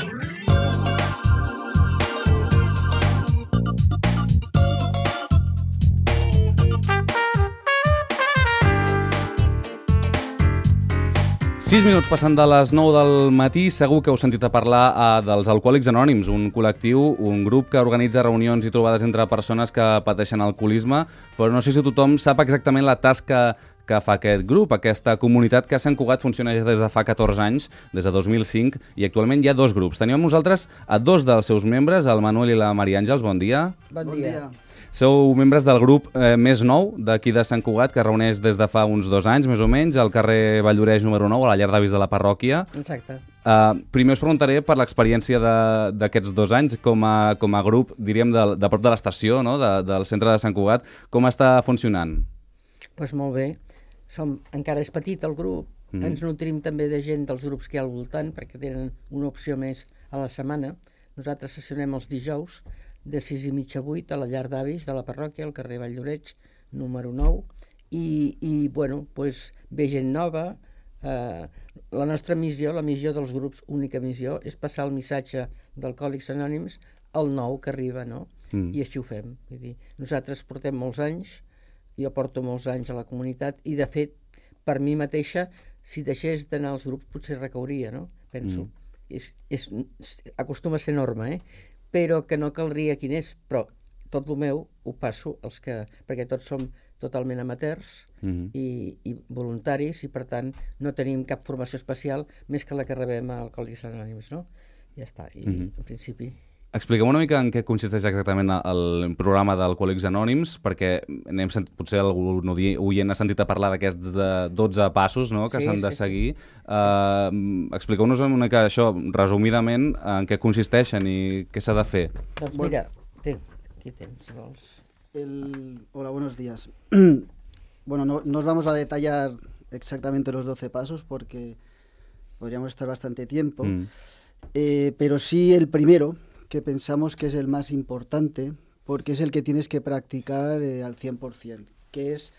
Sis minuts passant de les 9 del matí, segur que heu sentit a parlar dels Alcohòlics Anònims, un col·lectiu, un grup que organitza reunions i trobades entre persones que pateixen alcoholisme, però no sé si tothom sap exactament la tasca que fa aquest grup, aquesta comunitat que a Sant Cugat funciona ja des de fa 14 anys, des de 2005, i actualment hi ha dos grups. Tenim amb nosaltres a dos dels seus membres, el Manuel i la Maria Àngels. Bon dia. Bon dia. Sou membres del grup més nou d'aquí de Sant Cugat, que reuneix des de fa uns 2 anys, més o menys, al carrer Valldoreix número 9, a la llar d'avis de la parròquia. Exacte. Primer us preguntaré per l'experiència d'aquests 2 anys com a grup, diríem, de prop de l'estació, no? Del centre de Sant Cugat. Com està funcionant? Doncs molt bé. Encara és petit el grup. Ens nutrim també de gent dels grups que hi ha al voltant, perquè tenen una opció més a la setmana. Nosaltres sessionem els dijous, de 6:30 a 8 a la llar d'avis de la parròquia, al carrer Valldoreix, número 9, i bueno, doncs ve gent nova. La nostra missió, la missió dels grups, única missió, és passar el missatge d'Alcohòlics Anònims al nou que arriba, no? I així ho fem. Vull dir, nosaltres portem molts anys, jo porto molts anys a la comunitat, i de fet, per mi mateixa, si deixés d'anar als grups potser recauria, no? Penso. Acostuma a ser norma, però que no caldria quin és, però tot el meu ho passo perquè tots som totalment amateurs i voluntaris, i per tant no tenim cap formació especial més que la que rebem a Alcohòlics Anònims, no? Ja està, i en principi... Expliquem una mica en què consisteix exactament el programa d'Alcohòlics Anònims, perquè potser algun oient ha sentit a parlar d'aquests 12 passos, no?, que s'han de seguir. Expliqueu-nos una mica això, resumidament, en què consisteixen i què s'ha de fer. Doncs mira, aquí tens, si vols. Hola, buenos días. Bueno, no os vamos a detallar exactamente los 12 pasos porque podríamos estar bastante tiempo, pero sí el primero, que pensamos que es el más importante, porque es el que tienes que practicar al 100%, que es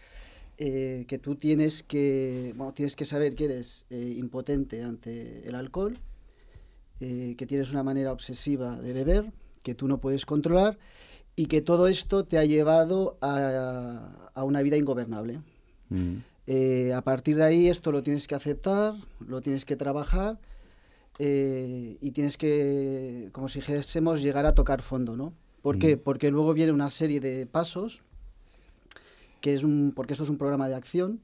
que tú tienes que saber que eres impotente ante el alcohol, que tienes una manera obsesiva de beber, que tú no puedes controlar, y que todo esto te ha llevado a una vida ingobernable. A partir de ahí esto lo tienes que aceptar, lo tienes que trabajar, y tienes que, como si dijésemos, llegar a tocar fondo, ¿no? ¿Por qué? Porque luego viene una serie de pasos, porque esto es un programa de acción,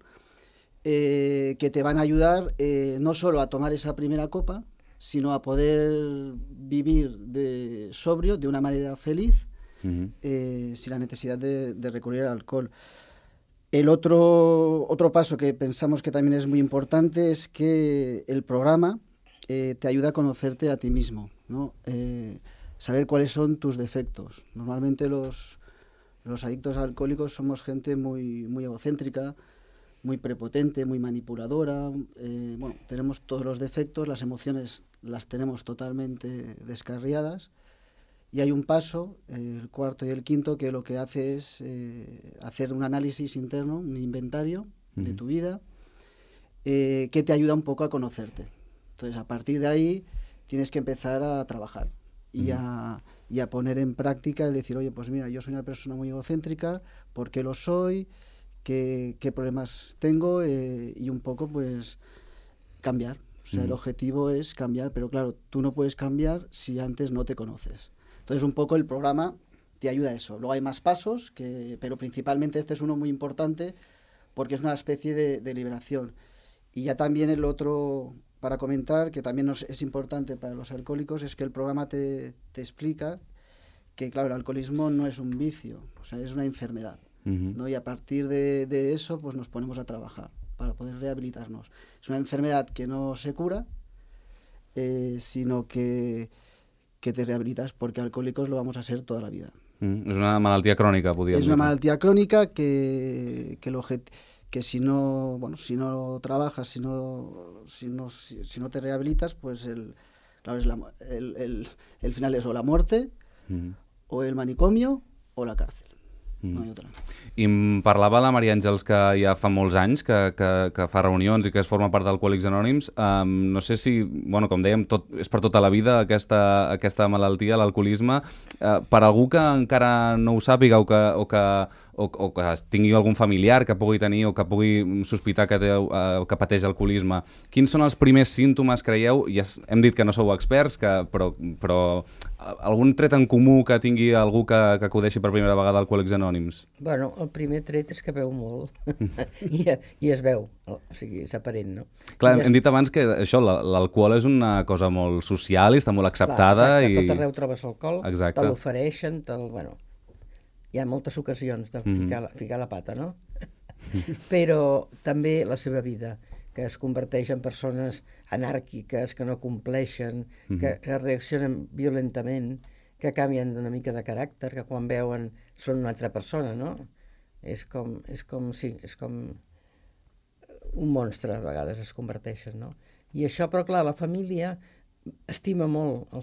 que te van a ayudar no solo a tomar esa primera copa, sino a poder vivir sobrio, de una manera feliz, sin la necesidad de recurrir al alcohol. El otro paso que pensamos que también es muy importante es que el programa te ayuda a conocerte a ti mismo, ¿no? Saber cuáles son tus defectos. Normalmente los adictos alcohólicos somos gente muy, muy egocéntrica, muy prepotente, muy manipuladora. Bueno, tenemos todos los defectos, las emociones las tenemos totalmente descarriadas. Y hay un paso, el cuarto y el quinto, que lo que hace es hacer un análisis interno, un inventario de tu vida, que te ayuda un poco a conocerte. Entonces, a partir de ahí, tienes que empezar a trabajar y a poner en práctica el decir, oye, pues mira, yo soy una persona muy egocéntrica, ¿por qué lo soy? ¿Qué problemas tengo? Y un poco, pues, cambiar. O sea, el objetivo es cambiar, pero claro, tú no puedes cambiar si antes no te conoces. Entonces, un poco el programa te ayuda a eso. Luego hay más pasos, pero principalmente este es uno muy importante porque es una especie de liberación. Y ya también el otro, para comentar, que también es importante para los alcohólicos, es que el programa te explica que, claro, el alcoholismo no es un vicio, o sea, es una enfermedad, ¿no? Y a partir de eso, pues nos ponemos a trabajar para poder rehabilitarnos. Es una enfermedad que no se cura, sino que te rehabilitas, porque alcohólicos lo vamos a ser toda la vida. És una malaltia crònica, podríem dir. Es una malaltia crónica que si no trabajas, si no te rehabilitas, pues el final es o la muerte, o el manicomio, o la cárcel. no hi ha otra. I em parlava la Maria Àngels que ja fa molts anys que fa reunions i que es forma part d'Alcohòlics Anònims. No sé si, bueno, com dèiem, és per tota la vida aquesta malaltia, l'alcoholisme. Per algú que encara no ho sàpiga o que tingui algun familiar que pugui tenir o que pugui sospitar que pateix alcoholisme, quins són els primers símptomes, creieu? Ja hem dit que no sou experts, però algun tret en comú que tingui algú que acudeixi per primera vegada a Alcohòlics Anònims? Bueno, el primer tret és que beu molt i es veu, o sigui, és aparent, no? Clar, hem dit abans que això, l'alcohol és una cosa molt social i està molt acceptada. Clar, exacte, tot arreu trobes alcohol, exacte, te l'ofereixen, bueno, hi ha moltes ocasions de ficar la pata, no? Però també la seva vida, que es converteix en persones anàrquiques, que no compleixen, que reaccionen violentament, que canvien una mica de caràcter, que quan veuen són una altra persona, no? És com un monstre, a vegades es converteixen, no? I això, però clar, la família estima molt a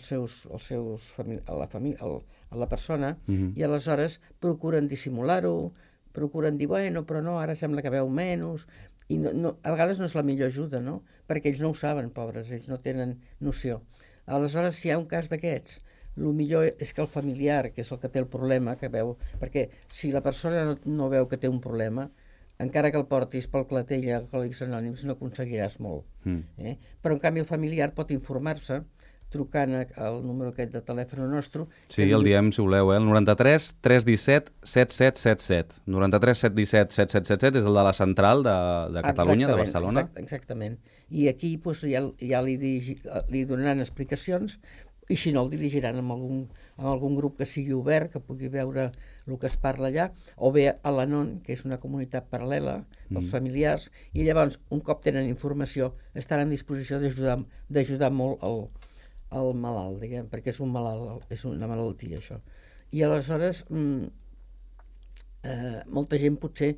la persona i aleshores procuren dissimular-ho, procuren dir, bueno, però no, ara sembla que veu menys, i a vegades no és la millor ajuda, no? Perquè ells no ho saben, pobres, ells no tenen noció. Aleshores, si hi ha un cas d'aquests, el millor és que el familiar, que és el que té el problema, que veu, perquè si la persona no veu que té un problema, encara que el portis pel clatell a Alcohòlics Anònims no aconseguiràs molt. Però en canvi el familiar pot informar-se trucant al número aquest de telèfon nostre. Sí, el diem, si voleu, el 93 317 7777. 93 317 7777 és el de la central de Catalunya, de Barcelona. Exactament. I aquí doncs, ja li donaran explicacions, i si no el dirigiran amb algun grup que sigui obert, que pugui veure el que es parla allà, o bé a l'Anon, que és una comunitat paral·lela pels familiars, i llavors, un cop tenen informació, estan en disposició d'ajudar molt el malalt, diguem, perquè és un malalt, és una malaltia, això. I aleshores, molta gent potser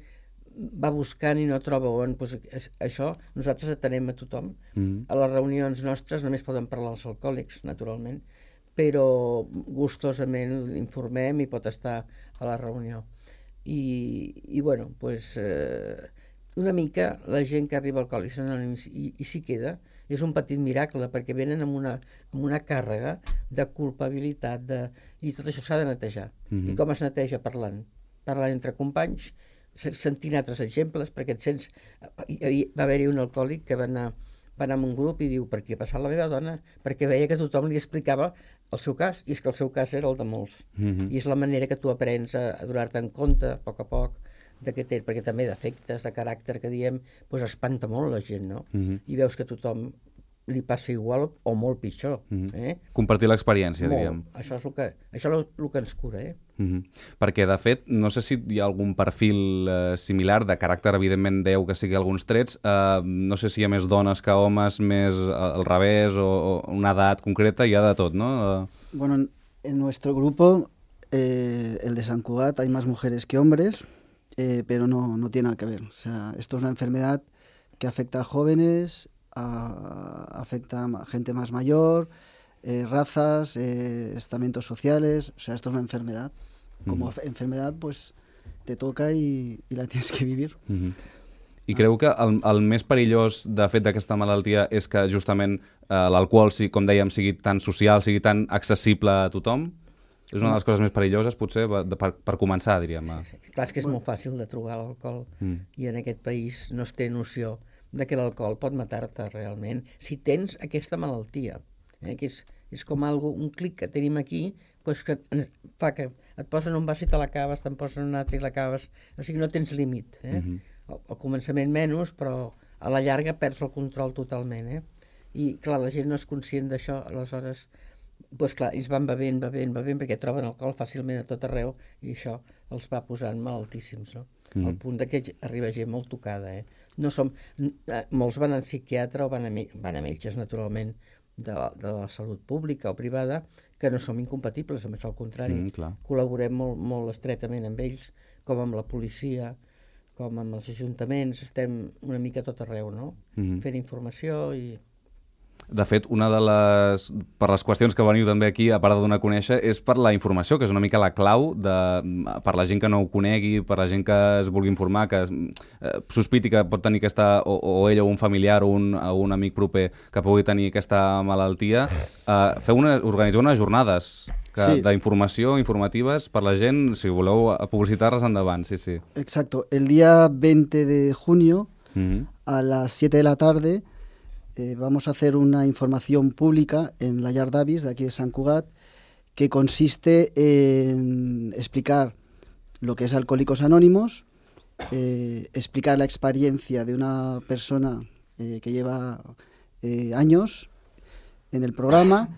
va buscant i no troba on, doncs això, nosaltres atenem a tothom. A les reunions nostres només poden parlar els alcohòlics, naturalment, però gustosament l'informem i pot estar a la reunió. I bueno, doncs, una mica la gent que arriba a Alcohòlics Anònims i s'hi queda, és un petit miracle, perquè venen amb una càrrega de culpabilitat, i tot això s'ha de netejar. I com es neteja? Parlant entre companys, sentint altres exemples, perquè et sents... Va haver-hi un alcohòlic que va anar amb un grup i diu, per què ha passat la meva dona? Perquè veia que tothom li explicava el seu cas, i és que el seu cas era el de molts. I és la manera que tu aprens a donar-te en compte, a poc, perquè també defectes de caràcter que diem, doncs espanta molt la gent, no? I veus que a tothom li passa igual o molt pitjor. Compartir l'experiència, diríem. Això és el que ens cura, Perquè, de fet, no sé si hi ha algun perfil similar de caràcter, evidentment deu que sigui alguns trets, no sé si hi ha més dones que homes, més al revés, o una edat concreta, hi ha de tot, no? Bueno, en nuestro grupo, el de Sant Cugat, hay más mujeres que hombres, pero no tiene nada que ver. O sea, esto es una enfermedad que afecta a jóvenes, afecta a gente más mayor, razas, estamentos sociales. O sea, esto es una enfermedad. Como enfermedad, pues te toca y la tienes que vivir. I creu que el més perillós, de fet, d'aquesta malaltia és que justament l'alcohol, com dèiem, sigui tan social, sigui tan accessible a tothom? És una de les coses més perilloses, potser, per començar, diríem. Sí. Clar, és que és molt fàcil de trobar l'alcohol i en aquest país no es té noció de que l'alcohol pot matar-te realment si tens aquesta malaltia, que és com un clic que tenim aquí, doncs que fa que et posen un vas i te l'acabes, te'n posen un altre i l'acabes, o sigui, no tens límit. Al començament menys, però a la llarga perds el control totalment. I clar, la gent no és conscient d'això, aleshores, doncs clar, ells van bevent, perquè troben alcohol fàcilment a tot arreu i això els va posant malaltíssims, no? Al punt que arriba gent molt tocada. Molts van al psiquiatre o van a metges, naturalment, de la salut pública o privada, que no som incompatibles, a més al contrari, col·laborem molt estretament amb ells, com amb la policia, com amb els ajuntaments, estem una mica a tot arreu, no? Fent informació i... De fet, una de per les qüestions que veniu també aquí, a part de donar a conèixer, és per la informació, que és una mica la clau per la gent que no ho conegui, per la gent que es vulgui informar, que sospiti que pot tenir aquesta, o ell o un familiar o un amic proper que pugui tenir aquesta malaltia. Organitzeu unes jornades d'informació, informatives per la gent, si voleu publicitar-les endavant, sí. Exacto. El día 20 de junio, a las 7 de la tarde, vamos a hacer una información pública en la Llar d'Avis de aquí de Sant Cugat, que consiste en explicar lo que es Alcohólicos Anónimos, explicar la experiencia de una persona que lleva años en el programa,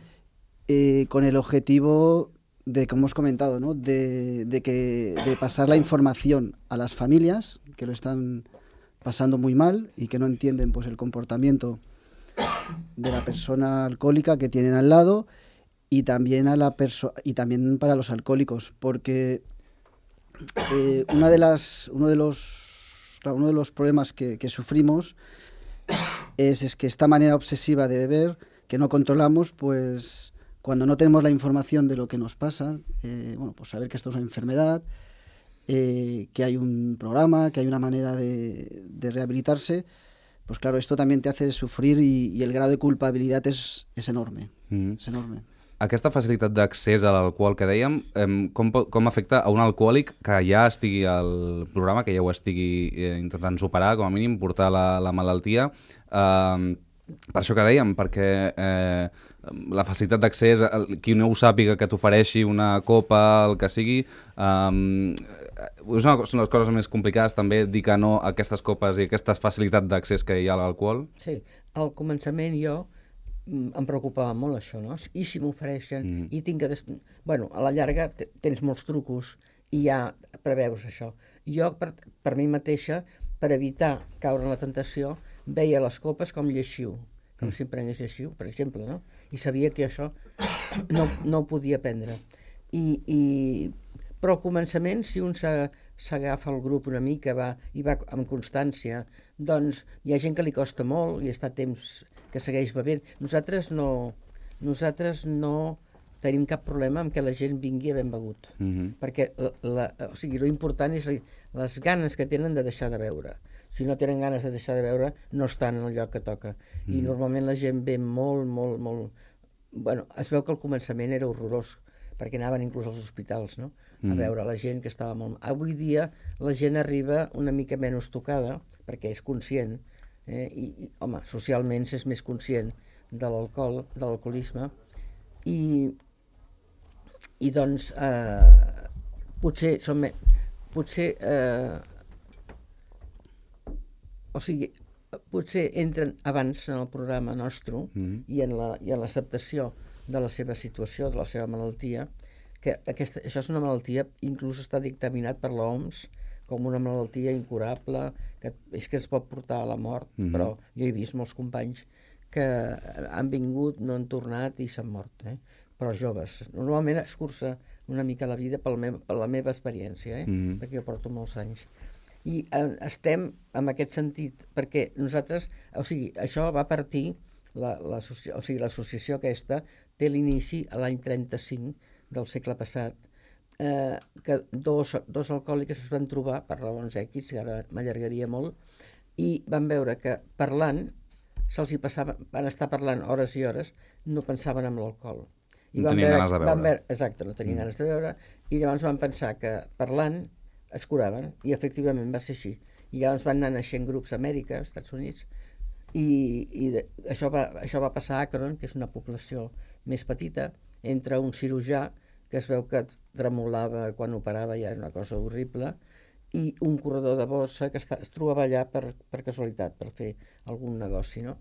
con el objetivo de, como hemos comentado, ¿no? de pasar la información a las familias que lo están pasando muy mal y que no entienden pues el comportamiento de la persona alcohólica que tienen al lado, y también y también para los alcohólicos, porque uno de los problemas que sufrimos es que esta manera obsesiva de beber que no controlamos, pues cuando no tenemos la información de lo que nos pasa, pues saber que esto es una enfermedad, que hay un programa, que hay una manera de rehabilitarse, pues claro, esto también te hace sufrir y el grado de culpabilidad es enorme. És enorme. Aquesta facilitat d'accés a l'alcohol que dèiem, com afecta a un alcohòlic que ja estigui al programa, que ja ho estigui intentant superar, com a mínim, portar la malaltia? Per això que dèiem, perquè la facilitat d'accés, qui no ho sàpiga que t'ofereixi una copa, el que sigui, són les coses més complicades també, dir que no a aquestes copes i aquesta facilitat d'accés que hi ha a l'alcohol? Sí, al començament jo em preocupava molt això, no? I si m'ofereixen i tinc que... Bueno, a la llarga tens molts trucos i ja preveus això. Jo, per mi mateixa, per evitar caure en la tentació, veia les copes com lleixiu, com si em prengués lleixiu, per exemple, no? I sabia que això no ho podia prendre. Però al començament, si un s'agafa al grup una mica i va amb constància, doncs hi ha gent que li costa molt i està temps que segueix bevent. Nosaltres no tenim cap problema amb que la gent vingui a ben begut, perquè o sigui, l'important és les ganes que tenen de deixar de beure. Si no tenen ganes de deixar de beure, no estan en el lloc que toca. I normalment la gent ve molt... Bueno, es veu que al començament era horrorós, perquè anaven inclús als hospitals, no?, a veure la gent que estava molt... Avui dia la gent arriba una mica menys tocada, perquè és conscient, i home, socialment s'és més conscient de l'alcohol, de l'alcoholisme, i doncs potser entren abans en el programa nostre i en l'acceptació de la seva situació, de la seva malaltia, que això és una malaltia, inclús està dictaminat per l'OMS com una malaltia incurable, que és que es pot portar a la mort, però jo he vist molts companys que han vingut, no han tornat i s'han mort, però joves. Normalment es cursa una mica la vida per la meva experiència, perquè jo porto molts anys. I estem en aquest sentit, perquè nosaltres, o sigui, això va partir, l'associació aquesta té l'inici a l'any 35 del segle passat, que dos alcohòlics es van trobar per raons X, que ara m'allargaria molt, i van veure que parlant, se'ls hi passava, van estar parlant hores i hores, no pensaven en l'alcohol. No tenien ganes de beure. Exacte, no tenien ganes de beure, i llavors van pensar que parlant es curaven, i efectivament va ser així. I llavors van anar naixent grups a Amèrica, als Estats Units, i això va passar a Akron, que és una població més petita, entre un cirurgià, que es veu que tremolava quan operava, ja era una cosa horrible, i un corredor de bossa que es trobava allà per casualitat, per fer algun negoci, no?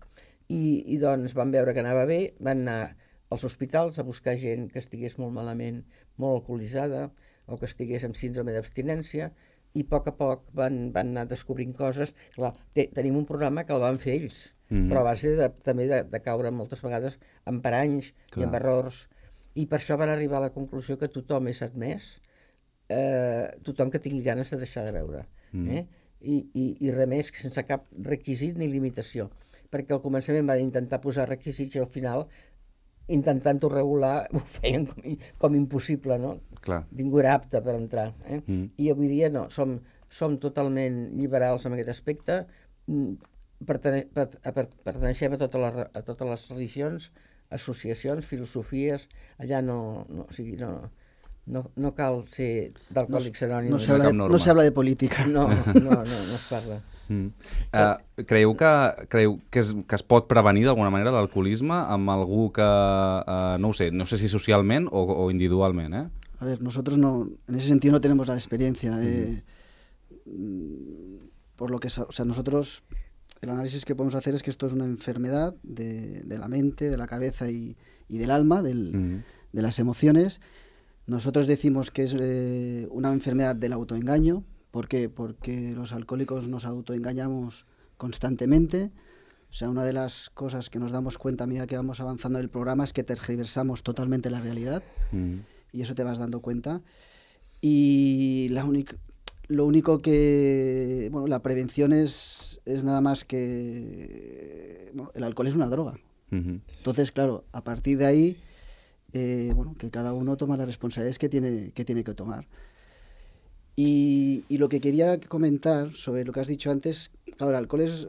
I doncs van veure que anava bé, van anar als hospitals a buscar gent que estigués molt malament, molt alcoholitzada, o que estigués amb síndrome d'abstinència, i a poc van anar descobrint coses. Clar, tenim un programa que el van fer ells, però a base també de caure moltes vegades en paranys i en errors, i per això van arribar a la conclusió que tothom és admès, tothom que tingui ganes de deixar de beure, i res més, sense cap requisit ni limitació. perquè al començament van intentar posar requisits i al final, intentant-ho regular, ho feien com impossible, no? Clar. Ningú era apte per entrar. I avui dia no, som totalment liberals en aquest aspecte, perteneixem a totes les religions, associacions, filosofies, allà no cal ser d'Alcohòlics Anònims. No se habla de política. No es parla. Creieu que es pot prevenir d'alguna manera l'alcoholisme amb algú que, no sé si socialment o individualment, eh? A ver, nosotros en ese sentido no tenemos la experiencia. Por lo que, o sea, nosotros, el análisis que podemos hacer es que esto es una enfermedad de la mente, de la cabeza y del alma, de las emociones. Nosotros decimos que es una enfermedad del autoengaño. ¿Por qué? Porque los alcohólicos nos autoengañamos constantemente. O sea, una de las cosas que nos damos cuenta a medida que vamos avanzando en el programa es que tergiversamos totalmente la realidad. Y eso te vas dando cuenta. Y lo único que... Bueno, la prevención es nada más que... Bueno, el alcohol es una droga. Entonces, claro, a partir de ahí, que cada uno toma las responsabilidades que tiene que tomar. Y lo que quería comentar sobre lo que has dicho antes, claro, el alcohol es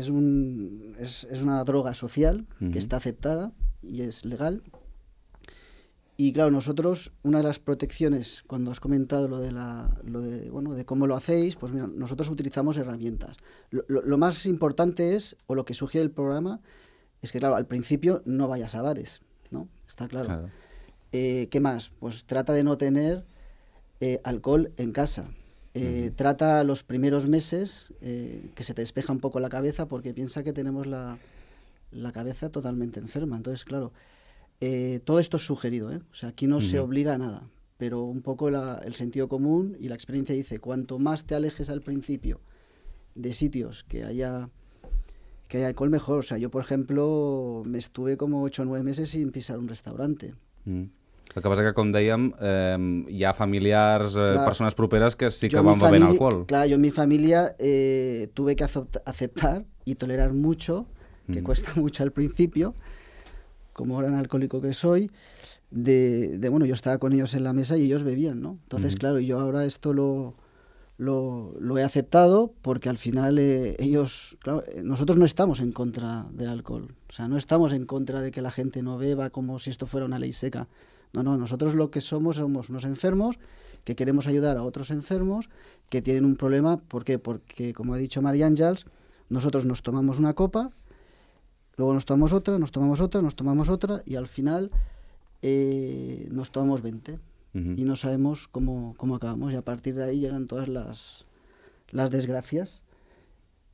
una droga social que está aceptada y es legal. Y claro, nosotros, una de las protecciones, cuando has comentado de cómo lo hacéis, pues mira, nosotros utilizamos herramientas. Lo más importante es, o lo que sugiere el programa, es que claro, al principio no vayas a bares, ¿no? Está claro. ¿Qué más? Pues trata de no tener alcohol en casa. Trata los primeros meses que se te despeja un poco la cabeza, porque piensa que tenemos la cabeza totalmente enferma. Entonces, claro, todo esto es sugerido, o sea, aquí no se obliga a nada, pero un poco el sentido común y la experiencia dice, cuanto más te alejes al principio de sitios que haya alcohol, mejor. O sea, yo, por ejemplo, me estuve como 8 o 9 meses sin pisar un restaurante. El que passa que, com dèiem, hi ha familiars, persones properes que sí que yo van bevent alcohol. Claro, yo en mi familia tuve que aceptar y tolerar mucho, que cuesta mucho al principio, como gran alcohólico que soy, bueno, yo estaba con ellos en la mesa y ellos bebían, ¿no? Entonces, claro, yo ahora esto lo he aceptado porque al final ellos, claro, nosotros no estamos en contra del alcohol, o sea, no estamos en contra de que la gente no beba como si esto fuera una ley seca. No, nosotros lo que somos unos enfermos que queremos ayudar a otros enfermos que tienen un problema. ¿Por qué? Porque, como ha dicho María Àngels, nosotros nos tomamos una copa, luego nos tomamos otra, nos tomamos otra, nos tomamos otra y al final nos tomamos 20 y no sabemos cómo acabamos, y a partir de ahí llegan todas las desgracias,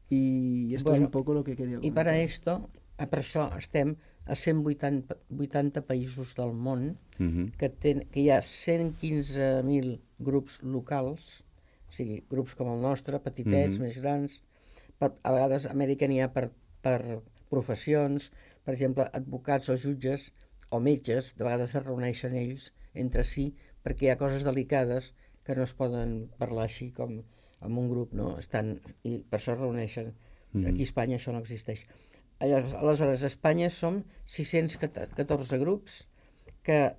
y esto es un poco lo que quería comentar. I per això estem a 180 països del món, que hi ha 115.000 grups locals, o sigui, grups com el nostre, petitets, més grans. A vegades a Amèrica n'hi ha per professions, per exemple, advocats o jutges o metges, de vegades es reuneixen ells entre si, perquè hi ha coses delicades que no es poden parlar així com en un grup, no? I per això es reuneixen. Aquí a Espanya això no existeix. Aleshores, a Espanya som 614 grups, que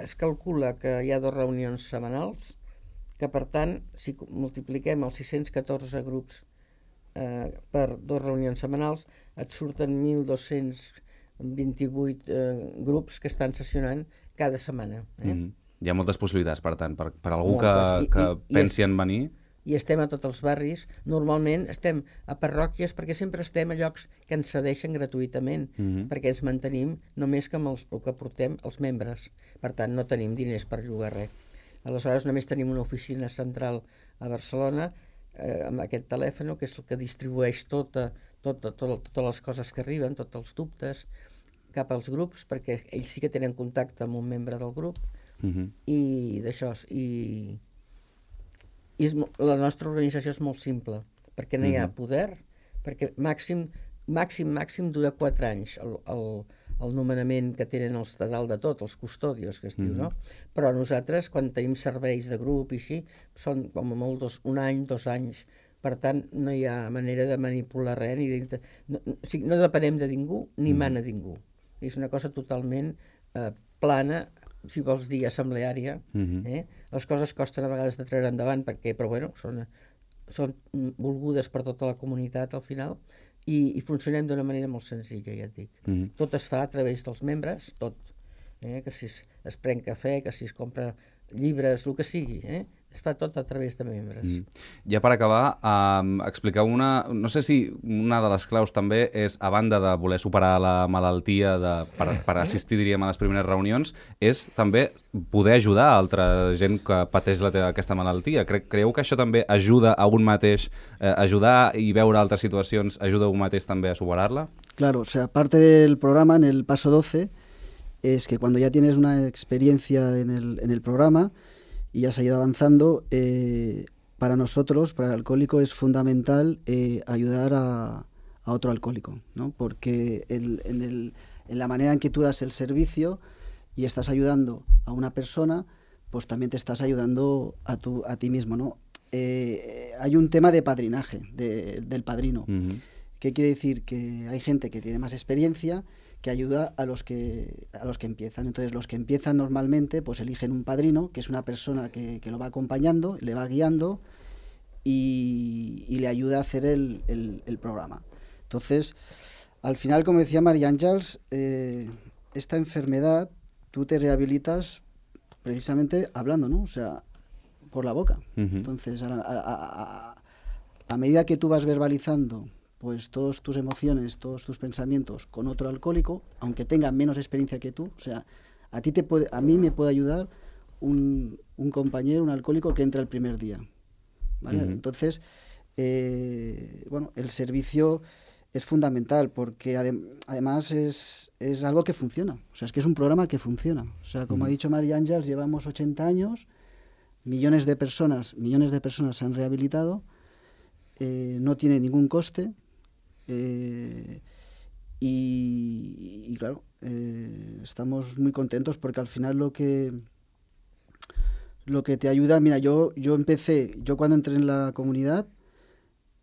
es calcula que hi ha 2 reunions setmanals, que per tant, si multipliquem els 614 grups per 2 reunions setmanals, et surten 1.228 grups que estan sessionant cada setmana. Hi ha moltes possibilitats, per tant, per algú que pensi en venir. I estem a tots els barris. Normalment estem a parròquies, perquè sempre estem a llocs que ens cedeixen gratuïtament, perquè ens mantenim només que amb el que portem els membres. Per tant, no tenim diners per llogar res. Aleshores, només tenim una oficina central a Barcelona, amb aquest telèfon, que és el que distribueix totes les coses que arriben, tots els dubtes, cap als grups, perquè ells sí que tenen contacte amb un membre del grup, i d'això. I la nostra organització és molt simple, perquè no hi ha poder, perquè màxim dura 4 anys el nomenament que tenen els de dalt de tot, els custodios, que es diu, no? Però nosaltres, quan tenim serveis de grup i així, són com a molt 1 any, 2 anys, Per tant, no hi ha manera de manipular res, no depenem de ningú ni mana ningú. És una cosa totalment plana, si vols dir assembleària. Les coses costen a vegades de treure endavant, però bueno, són volgudes per tota la comunitat al final, i funcionem d'una manera molt senzilla, ja et dic. Tot es fa a través dels membres, tot. Que si es pren cafè, que si es compra llibres, el que sigui, es fa tot a través de membres. Ja per acabar, expliqueu no sé si una de les claus també és, a banda de voler superar la malaltia per assistir, diríem, a les primeres reunions, és també poder ajudar a altra gent que pateix aquesta malaltia. Creieu que això també ajuda a un mateix, ajudar i veure altres situacions, ajuda a un mateix també a superar-la? Claro, o sea, parte del programa, en el paso 12, es que cuando ya tienes una experiencia en el programa y has ido avanzando, para nosotros, para el alcohólico, es fundamental ayudar a otro alcohólico, ¿no? Porque en la manera en que tú das el servicio y estás ayudando a una persona, pues también te estás ayudando a ti mismo, ¿no? Hay un tema de padrinaje, del padrino. ¿Qué quiere decir? Que hay gente que tiene más experiencia, que ayuda a los que empiezan. Entonces, los que empiezan normalmente, pues eligen un padrino, que es una persona que lo va acompañando, le va guiando y le ayuda a hacer el programa. Entonces, al final, como decía María Ángeles, esta enfermedad tú te rehabilitas precisamente hablando, ¿no? O sea, por la boca. Entonces, a medida que tú vas verbalizando pues todas tus emociones, todos tus pensamientos con otro alcohólico, aunque tenga menos experiencia que tú, o sea, a mí me puede ayudar un compañero, un alcohólico que entra el primer día, ¿vale? Entonces, bueno, el servicio es fundamental porque además es algo que funciona, o sea, es que es un programa que funciona. O sea, como ha dicho María Ángeles, llevamos 80 años, millones de personas se han rehabilitado, no tiene ningún coste. Y claro, estamos muy contentos porque al final lo que te ayuda, mira, yo cuando entré en la comunidad,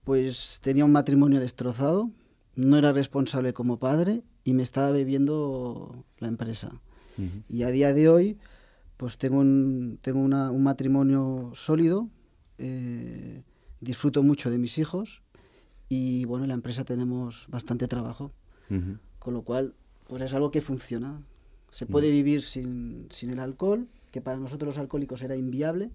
pues tenía un matrimonio destrozado, no era responsable como padre y me estaba bebiendo la empresa. Y a día de hoy, pues tengo un matrimonio sólido, disfruto mucho de mis hijos. Y bueno, en la empresa tenemos bastante trabajo, con lo cual pues es algo que funciona. Se puede vivir sin el alcohol, que para nosotros los alcohòlicos era inviable,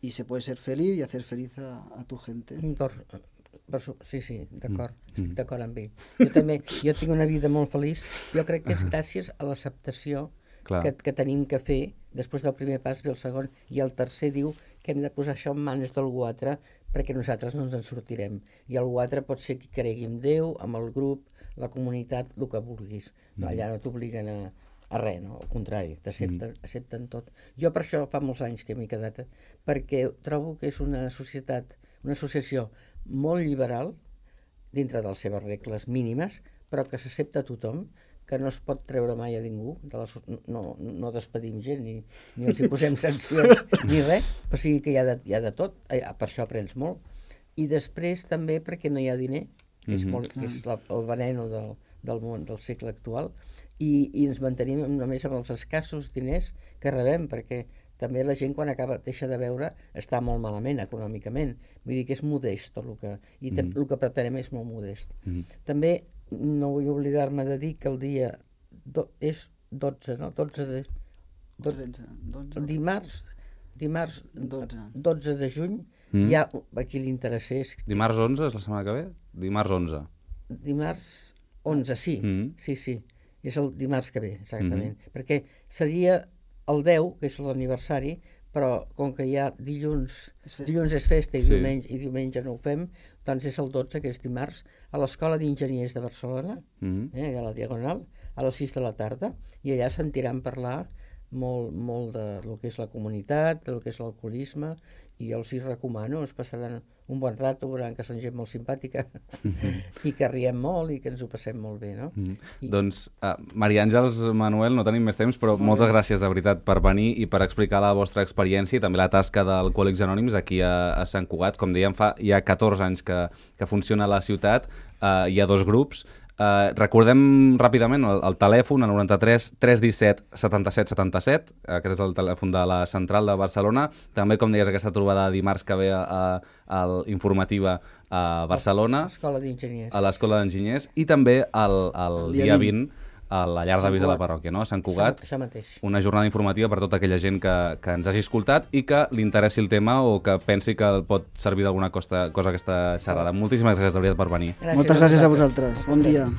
y se puede ser feliz y hacer feliz a tu gente. Sí, d'acord, estic d'acord amb ell. Jo tinc una vida molt feliç, jo crec que és gràcies a l'acceptació que tenim que fer, després del primer pas ve el segon, i el tercer diu que hem de posar això en mans d'algú altre, perquè nosaltres no ens en sortirem. I algú altre pot ser qui cregui en Déu, amb el grup, la comunitat, el que vulguis. Allà no t'obliguen a res, no? Al contrari, accepten tot. Jo per això fa molts anys que m'he quedat, perquè trobo que és una associació molt liberal, dintre de les seves regles mínimes, però que s'accepta a tothom, que no es pot treure mai a ningú, no despedim gent, ni els hi posem sancions, ni res, o sigui que hi ha de tot, per això aprens molt. I després també perquè no hi ha diner, que és el veneno del món del segle actual, i ens mantenim només amb els escassos diners que rebem, perquè també la gent quan deixa de beure està molt malament econòmicament, vull dir que és modest tot el que pretenem és molt modest. També no vull oblidar-me de dir que el dia és 12, no? 12 dimarts 12 de juny, hi ha a qui li interessés... Dimarts 11 és la setmana que ve? Dimarts 11. Dimarts 11, sí. És el dimarts que ve, exactament. Perquè seria el 10, que és l'aniversari, però com que hi ha dilluns és festa i diumenge no ho fem, doncs és el 12, que és dimarts, a l'Escola d'Enginyers de Barcelona, a la Diagonal, a les 6 de la tarda, i allà sentiran parlar molt de lo que és la comunitat, del que és l'alcoholisme, i jo els hi recomano, es passaran un bon rato, veuran que són gent molt simpàtica i que riem molt i que ens ho passem molt bé, no? Doncs, Maria Àngels, Manuel, no tenim més temps, però moltes gràcies de veritat per venir i per explicar la vostra experiència i també la tasca d'Alcohòlics Anònims aquí a Sant Cugat. Com dèiem, hi ha 14 anys que funciona a la ciutat, hi ha 2 grups. Recordem ràpidament el telèfon, el 93 317 77 77, aquest és el telèfon de la central de Barcelona. També, com deies, aquesta trobada dimarts que ve a l'informativa a Barcelona, a l'Escola d'Enginyers, i també el dia 20 a la llar d'avis de la parròquia, no? A Sant Cugat. Això mateix. Una jornada informativa per tota aquella gent que ens hagi escoltat i que li interessi el tema o que pensi que pot servir d'alguna cosa aquesta xerrada. Moltíssimes gràcies, de veritat, per venir. Moltes gràcies a vosaltres. Bon dia.